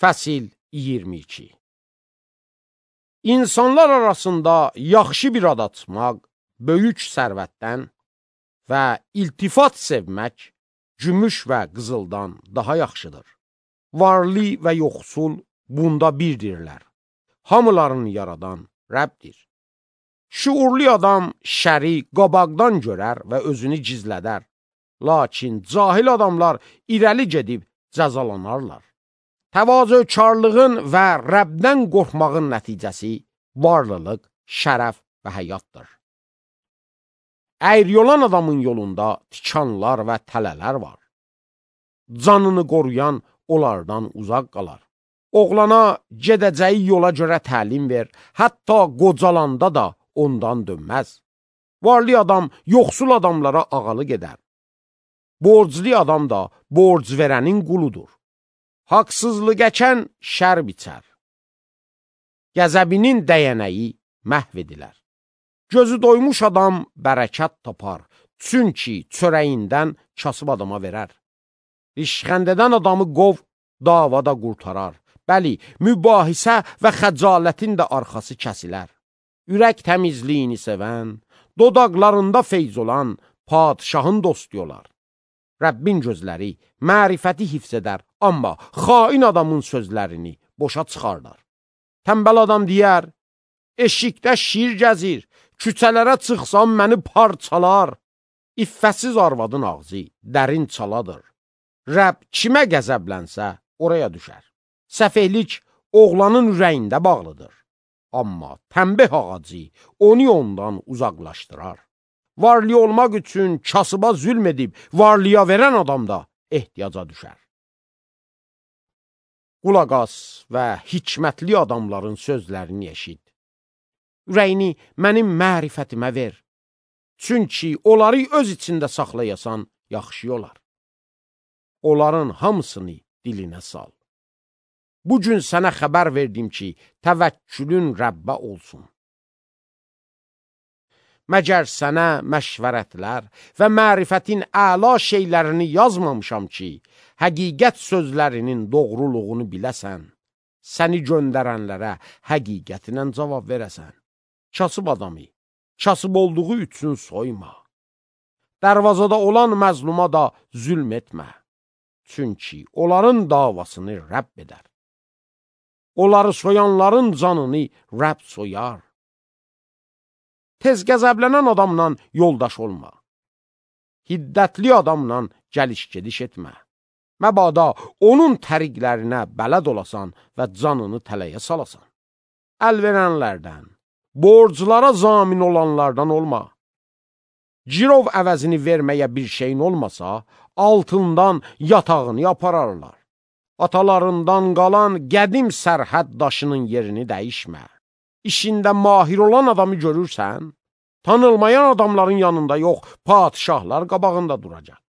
Fəsil 22. İnsanlar arasında yaxşı bir ad açmaq, böyük sərvətdən və iltifat sevmək, gümüş və qızıldan daha yaxşıdır. Varlı və yoxsul bunda birdirlər. Hamıların yaradan Rəbdir. Şuurlu adam şəri qabaqdan görər və özünü gizlədər. Lakin cahil adamlar irəli gedib cəzalanarlar. Təvazökarlığın və Rəbdən qorxmağın nəticəsi varlılıq, şərəf və həyatdır. Əyri olan adamın yolunda tikanlar və tələlər var. Canını qoruyan onlardan uzaq qalar. Oğlana gedəcəyi yola görə təlim ver, hətta qocalanda da ondan dönməz. Varlı adam yoxsul adamlara ağalıq edər. Borclu adam da borc verənin quludur. Haqsızlıq əkən şər biçər. Qəzəbinin dəyənəyi məhv edilər. Gözü doymuş adam bərəkət tapar, çünki çörəyindən kasıb adama verər. Rişxəndədən adamı qov, davada qurtarar. Bəli, mübahisə və xəcalətin də arxası kəsilər. Ürək təmizliyini sevən, dodaqlarında feyz olan padişahın dostu olar. Rəbbin gözləri mərifəti hifz edər, amma xain adamın sözlərini boşa çıxardar. Tənbəl adam deyər, eşikdə şir gəzir, küçələrə çıxsam məni parçalar. İffətsiz arvadın ağzı dərin çaladır. Rəbb kimə qəzəblənsə oraya düşər. Səfehlik oğlanın ürəyində bağlıdır. Amma tənbeh ağacı onu ondan uzaqlaşdırar. Varlı olmaq üçün kasıba zülm edib varlıya verən adam da ehtiyaca düşər. Qulaq as və hikmətli adamların sözlərini eşit. Ürəyini mənim mərifətimə ver. Çünki onları öz içində saxlayasan yaxşı olar. Onların hamısını dilinə sal. Bugün sənə xəbər verdim ki, təvəkkülün Rəbbə olsun. Məgər sənə məşvərətlər və mərifətin əla şeylərini yazmamışam ki, həqiqət sözlərinin doğruluğunu biləsən, səni göndərənlərə həqiqətinlə cavab verəsən. Kasıb adamı, kasıb olduğu üçün soyma. Dərvazada olan məzluma da zülm etmə. Çünki onların davasını Rəbb edər. Onları soyanların canını Rəbb soyar. Tez qəzəblənən adamla yoldaş olma. Hiddətli adamla gəliş-gediş etmə. Məbada onun təriqlərinə bələd olasan və canını tələyə salasan. Əl verənlərdən, borclara zamin olanlardan olma. Girov əvəzini verməyə bir şeyin olmasa, altından yatağını yapararlar. Atalarından qalan qədim sərhəd daşının yerini dəyişmə. İşində mahir olan adamı görürsən, tanılmayan adamların yanında yox, padişahlar qabağında duracaq.